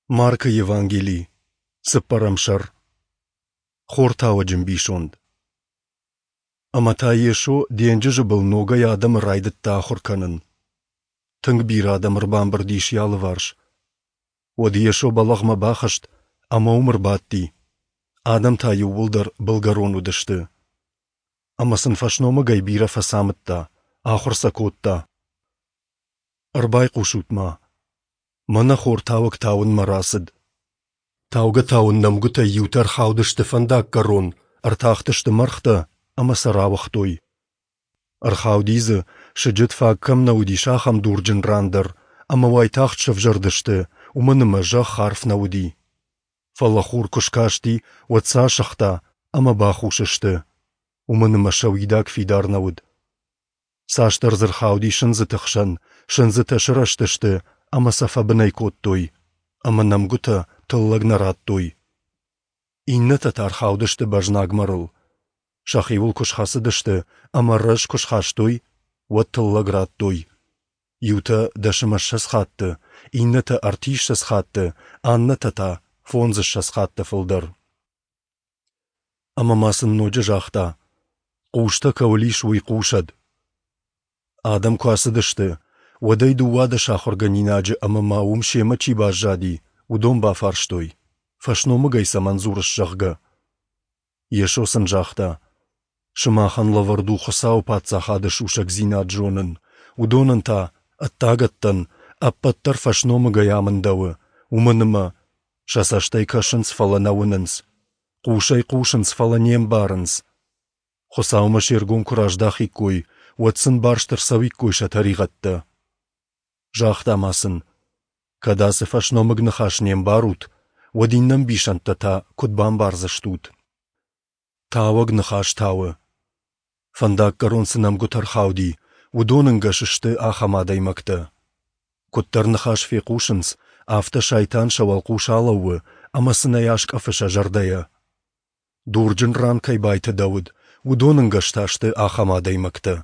Маркы Евангели, цыппӕрӕм сӕр. Хортауӕджы мбисонд. Ӕмӕ та Йесо денджызы был ногӕй адӕмы райдыдта ахуыр кӕнын. Тынг бирӕ адӕм ӕрбамбырд ис йӕ алыварс. Уӕд Йесо бӕлӕгъмӕ бахызт ӕмӕ уым ӕрбадти. Адӕм та иууылдӕр былгӕрон уыдысты. Ӕмӕ сын фӕсномыгӕй бирӕ фӕцамыдта, ахуыр сӕ кодта. Ӕрбайхъусут-ма, мӕнӕ хортауӕг тауынмӕ рацыд. Таугӕ-тауын нӕмгуытӕй иутӕ ӕрхаудысты фӕндаггӕрон, ӕртахтысты мӕргътӕ ӕмӕ сӕ рауыгътой. Ӕрхауди дзы, сыджыт фаг кӕм нӕ уыдис, ахӕм дурджын ран дӕр, ӕмӕ уайтагъд сӕвзӕрдысты, уымӕн ӕмӕ зӕхх арф нӕ уыди. Фӕлӕ хур куы скасти, уӕд сӕ асыгъта ӕмӕ бахус сты, уымӕн ӕмӕ сӕ уидаг фидар нӕ уыд. Цасдӕр дзы рхауди сындзыты хсӕн, сындзытӕ сырӕзтысты ӕмӕ сӕ фӕбынӕй кодтой, ӕмӕ нӕмгуытӕ тыллӕг нӕ радтой. Иннӕтӕ та рхаудысты бӕзнагмӕрыл. Сӕхиуыл куы схӕцыдысты ӕмӕ рӕз куы схастой, уӕд тыллӕг радтой. Иутӕ дӕсымӕссӕдз хатты, иннӕтӕ ӕртиссӕдз хатты, аннӕтӕ та фондзыссӕдз хатты фылдӕр. Ӕмӕ ма сын ноджы загъта: Хъустӕ кӕуыл ис, уый хъусӕд. Адӕм куы ацыдысты, уӕд ӕй 12 ахуыргӕнинаджы ӕмӕ ма уым семӕ чи баззади, уыдон бафарстой, фӕсномыгӕй цӕмӕн дзурыс, зӕгъгӕ. Йесо сын загъта: Сымахӕн лӕвӕрд у Хуыцауы Паддзахады сусӕгдзинад зонын, уыдонӕн та, ӕддагӕттӕн, ӕппӕт дӕр фӕсномыгӕй амындӕуы, уымӕн ӕмӕ сӕ цӕстӕй кӕсынц, фӕлӕ нӕ уынынц, хъусӕй хъусынц, фӕлӕ не мбарынц. Хуыцаумӕ се ргом куы раздахиккой, уӕд сын барст ӕрцӕуиккой сӕ тӕригъӕдтӕ. Загъта ма сын: Кӕд ацы фӕсномыг ныхас не мбарут, уӕд иннӕ ӕмбисӕндтӕ та куыд бамбардзыстут? Тауӕг ныхас тауы. Фӕндаггӕрон цы нӕмгуытӕ рхауди, уыдон ӕнгӕс сты ахӕм адӕймӕгтӕ. Куыддӕр ныхас фехъусынц, афтӕ сайтан сӕ уӕлхъус алӕууы ӕмӕ сын ӕй аскъӕфы сӕ зӕрдӕйӕ. Дурджын ран кӕй байтыдӕуыд, уыдон ӕнгӕс та сты ахӕм адӕймӕгтӕ.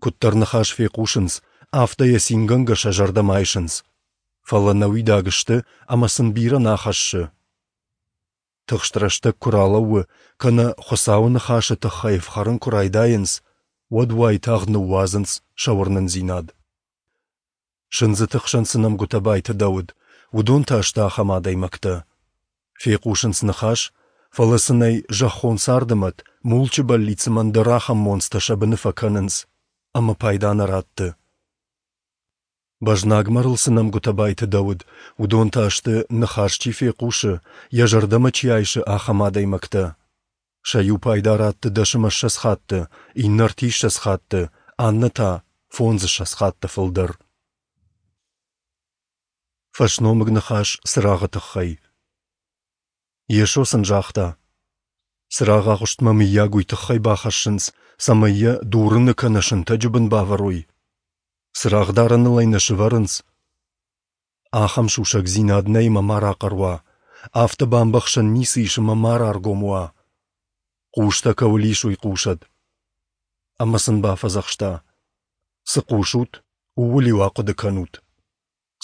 Куыддӕр ныхас фехъусынц, афтӕ йӕ цингӕнгӕ сӕ зӕрдӕмӕ айсынц. Фӕлӕ нӕуидаг сты ӕмӕ сын бирӕ нӕ хӕссы. Тыхст рӕстӕг куы ралӕууы кӕнӕ Хуыцауы ныхасы тыххӕй ӕфхӕрын куы райдайынц, уӕд уайтагъд ныууадзынц сӕ уырнындзинад. Сындзыты хсӕн цы нӕмгуытӕ байтыдӕуыд, уыдон та сты ахӕм адӕймӕгтӕ. Фехъусынц ныхас, фӕлӕ сын ӕй зӕххон царды мӕт, мулчы бӕллиц ӕмӕ ӕндӕр ахӕм монцтӕ сӕ быны фӕкӕнынц, ӕмӕ пайда нӕ ратты. Бӕзнагмӕрыл цы нӕмгуытӕ байтыдӕуыд, уыдон та сты, ныхас чи фехъусы, йӕ зӕрдӕмӕ чи айсы, ахӕм адӕймӕгтӕ. Сӕ иу пайда ратты дӕсымӕссӕдз хатты, иннӕ ӕртиссӕдз хатты, аннӕ та фондзыссӕдз хатты фылдӕр. Фӕсномыг ныхас цырагъы тыххӕй. Йесо сын загъта: Цырагъ агъуыстмӕ мыййаг уый тыххӕй бахӕссынц, цӕмӕй йӕ дурыны кӕнӕ сынтӕджы бын бавӕрой? Цырагъдарӕныл ӕй нӕ сӕвӕрынц? Ахӕм сусӕгдзинад нӕй ӕмӕ ма рахъӕр уа, афтӕ бамбӕхсӕн ницы ис ӕмӕ ма раргом уа. Хъустӕ кӕуыл ис, уый хъусӕд. Ӕмӕ сын бафӕдзӕхста: Цы хъусут, ууыл-иу ахъуыды кӕнут.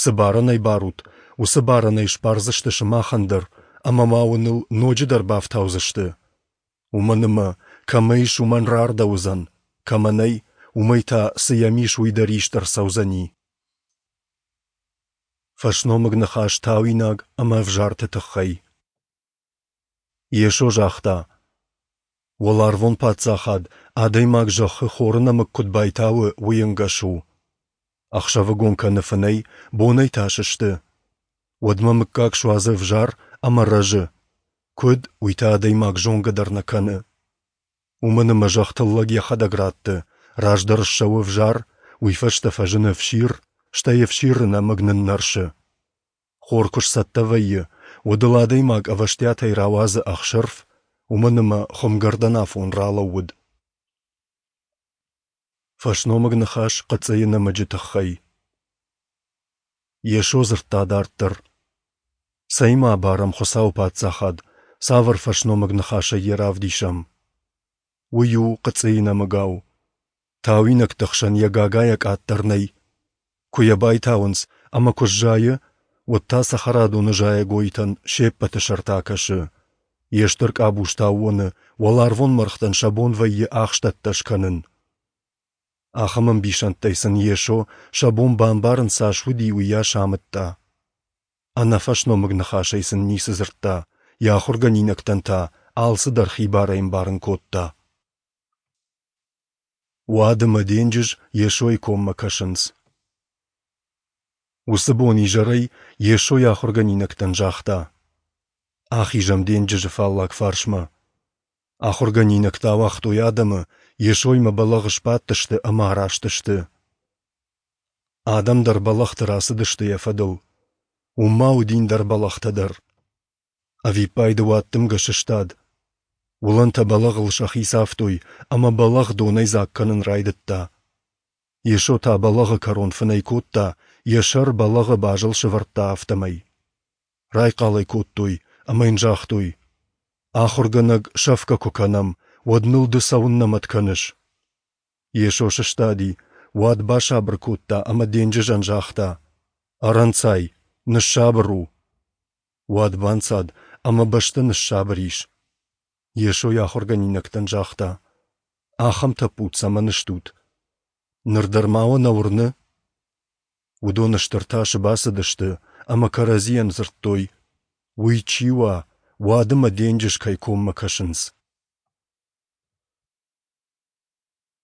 Цы барӕнӕй барут, уыцы барӕнӕй сбардзысты сымахӕн дӕр, ӕмӕ ма уын ыл ноджыдӕр бафтаудзысты. Уымӕн ӕмӕ, кӕмӕ ис, уымӕн рардӕуыдзӕн, кӕмӕ нӕй, уымӕй та, цы йӕм ис, уый дӕр ист ӕрцӕудзӕни. Фӕсномыг ныхас тауинаг ӕмӕ ӕвзарты тыххӕй. Йесо загъта: Уӕларвон Паддзахад, адӕймаг зӕххы хоры нӕмыг куыд байтауы, уый ӕнгӕс у. Ӕхсӕвыгон кӕны фынӕй, бонӕй та сысты. Уӕдмӕ мыггаг суадзы ӕвзар ӕмӕ рӕзы. Куыд, уый та адӕймаг зонгӕ дӕр нӕ кӕны. Уымӕн ӕмӕ зӕхх тыллӕг йӕхӕдӕг ратты, раздӕр ссӕуы ӕвзар, уый фӕстӕ фӕзыны ӕфсир, стӕй ӕфсиры нӕмыг ныннӕрсы. Хор куы сцӕттӕ вӕййы, уӕд ыл адӕймаг ӕвӕстиатӕй рауадзы ӕхсырф, уымӕн ӕмӕ хуымгӕрдӕн афон ралӕууыд. Фӕсномыг ныхас хъыцъыйы нӕмыджы тыххӕй. Йесо дзырдта дарддӕр: Цӕимӕ абарӕм Хуыцауы Паддзахад, цавӕр фӕсномыг ныхасӕй йӕ равдисӕм? Уый у хъыцъыйы нӕмыгау. Тауинӕгты хсӕн йӕ гагайӕ къаддӕр нӕй. Куы йӕ байтауынц ӕмӕ куы сзайы, уӕд та цӕхӕрадоны зайӕгойтӕн се ппӕты сӕрты акӕсы. Йе стыр къабузты аууоны уӕларвон мӕргътӕн сӕ бон вӕййы ахстӕттӕ скӕнын. Ахӕм ӕмбисӕндтӕй сын Йесо, сӕ бон бамбарын цас уыди, уыйас амыдта. Ӕнӕфӕсномыг ныхасӕй сын ницы дзырдта, йӕ ахуыргӕнинӕгтӕн та алцыдӕр хибарӕй ӕмбарын кодта. Уад ӕмӕ денджыз Йесойы коммӕ кӕсынц. Уыцы бон изӕрӕй Йесо йӕ ахуыргӕнинӕгтӕн загъта: Ахизӕм денджызы фаллаг фарсмӕ. Ахуыргӕнинӕгтӕ ауагътой адӕмы, Йесоимӕ бӕлӕгъы сбадтысты ӕмӕ араст сты. Адӕм дӕр бӕлӕгъты рацыдысты йӕ фӕдыл. Уым ма уыди ӕндӕр бӕлӕгътӕ дӕр. Ӕвиппайды уаддымгӕ сыстад. Уылӕнтӕ бӕлӕгъыл сӕхи цавтой, ӕмӕ бӕлӕгъ донӕй дзаг кӕнын райдыдта. Йесо та бӕлӕгъы кӕрон фынӕй кодта, йӕ сӕр бӕлӕгъы базыл сӕвӕрдта, афтӕмӕй. Райхъал ӕй кодтой ӕмӕ йын загътой: Ахуыргӕнӕг, сӕфгӕ куы кӕнӕм, уӕд ныл ды цӕуыннӕ мӕт кӕныс? Йесо сыстади, уад басабыр кодта ӕмӕ денджызӕн загъта: Ӕрӕнцай, ныссабыр у. Уад банцад, ӕмӕ бӕстӕ ныссабыр ис. Йесо йӕ ахуыргӕнинӕгтӕн загъта: Ахӕм тӕппуд цӕмӕн стут? Ныр дӕр ма уӕ нӕ уырны? Уыдон стыр тасы бацыдысты ӕмӕ кӕрӕдзийӕн дзырдтой: Уый чи уа, уад ӕмӕ денджыз кӕй коммӕ кӕсынц?